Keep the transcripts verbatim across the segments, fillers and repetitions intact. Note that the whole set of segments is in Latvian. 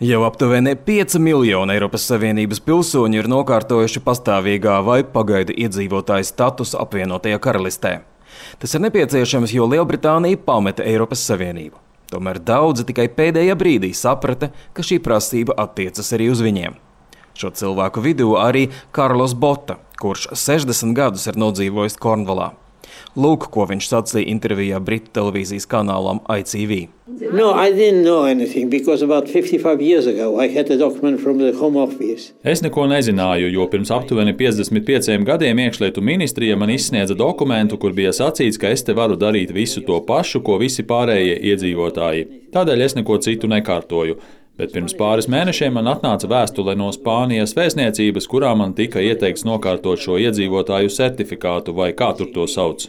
Jau aptuveni pieci miljoni Eiropas Savienības pilsoņu ir nokārtojuši pastāvīgā vai pagaidu iedzīvotāju statusu apvienotajā karalistē. Tas ir nepieciešams, jo Lielbritānija pameta Eiropas Savienību. Tomēr daudzi tikai pēdējā brīdī saprata, ka šī prasība attiecas arī uz viņiem. Šo cilvēku vidū arī Karlos Bota, kurš sešdesmit gadus ir nodzīvojis Kornvalā. Lūk, ko viņš sacīja intervijā Britu televīzijas kanālam I T V. No, I didn't know anything because about fifty-five years ago I had a document from the Home Office. Es neko nezināju, jo pirms aptuveni piecdesmit pieciem gadiem iekšlietu ministrija man izsniedza dokumentu, kur bija sacīts, ka es te varu darīt visu to pašu, ko visi pārējie iedzīvotāji. Tādēļ es neko citu nekārtoju. Bet pirms pāris mēnešiem man atnāca vēstule no Spānijas vēstniecības, kurā man tika ieteikts nokārtot šo iedzīvotāju certifikātu, vai kā tur to sauc.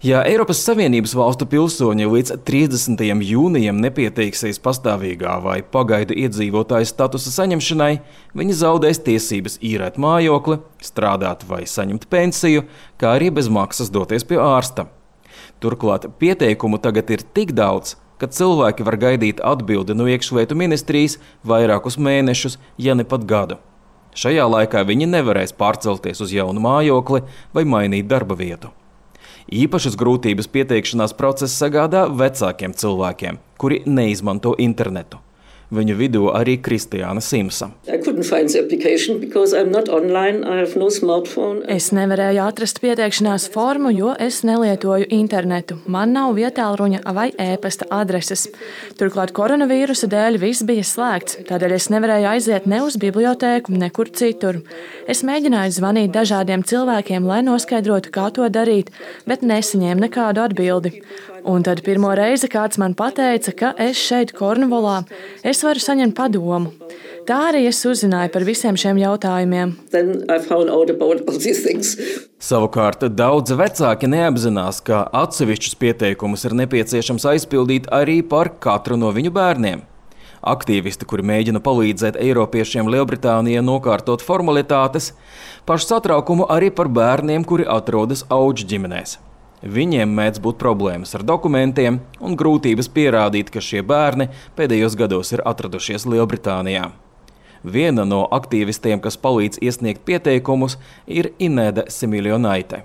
Ja Eiropas Savienības valstu pilsoņi līdz trīsdesmitajam jūnijam nepieteiksies pastāvīgā vai pagaidu iedzīvotāju statusa saņemšanai, viņi zaudēs tiesības īrēt mājokli, strādāt vai saņemt pensiju, kā arī bez maksas doties pie ārsta. Turklāt pieteikumu tagad ir tik daudz, ka cilvēki var gaidīt atbildi no iekšlietu ministrijas vairākus mēnešus, ja ne pat gadu. Šajā laikā viņi nevarēs pārcelties uz jaunu mājokli vai mainīt darba vietu. Īpašas grūtības pieteikšanās process sagādā vecākiem cilvēkiem, kuri neizmanto internetu. Viņu vidū arī Kristiāna Simsa. Es nevarēju atrast pieteikšanās formu, jo es nelietoju internetu. Man nav vietālruņa vai e-pasta adreses. Turklāt koronavīrusa dēļ viss bija slēgts, tādēļ es nevarēju aiziet ne uz bibliotēku, nekur citur. Es mēģināju zvanīt dažādiem cilvēkiem, lai noskaidrotu, kā to darīt, bet nesaņēmu nekādu atbildi. Un tad pirmo reizi kāds man pateica, ka es šeit Kornvalā, es varu saņemt padomu. Tā arī es uzzināju par visiem šiem jautājumiem. Savukārt daudzi vecāki neapzinās, ka atsevišķus pieteikumus ir nepieciešams aizpildīt arī par katru no viņu bērniem. Aktīvisti, kuri mēģina palīdzēt eiropiešiem Lielbritānijā nokārtot formalitātes, pašu satraukumu arī par bērniem, kuri atrodas auģu ģimenēs. Viņiem mēdz būt problēmas ar dokumentiem un grūtības pierādīt, ka šie bērni pēdējos gados ir atradušies Lielbritānijā. Viena no aktīvistiem, kas palīdz iesniegt pieteikumus, ir Inēda Similjonaite.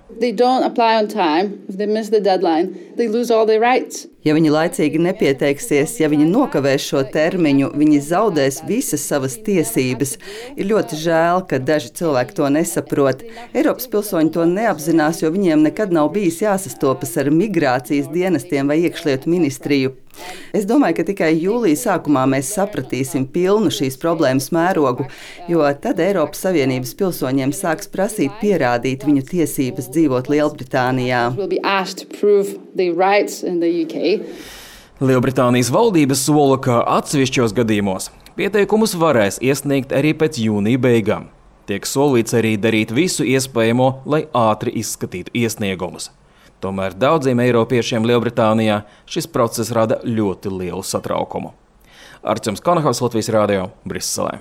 Ja viņi laicīgi nepieteiksies, ja viņi nokavēs šo termiņu, viņi zaudēs visas savas tiesības. Ir ļoti žēl, ka daži cilvēki to nesaprot. Eiropas pilsoņi to neapzinās, jo viņiem nekad nav bijis jāsastopas ar migrācijas dienestiem vai iekšlietu ministriju. Es domāju, ka tikai jūlija sākumā mēs sapratīsim pilnu šīs problēmas mērogu, jo tad Eiropas Savienības pilsoņiem sāks prasīt pierādīt viņu tiesības dzīvot Lielbritānijā. Lielbritānijas valdības sola, ka atsevišķos gadījumos pieteikumus varēs iesniegt arī pēc jūnija beigām. Tiek solīts arī darīt visu iespējamo, lai ātri izskatītu iesniegumus. Tomēr daudziem eiropiešiem Lielbritānijā šis process rada ļoti lielu satraukumu. Arčuns Konahaus, Latvijas radio, Briselē.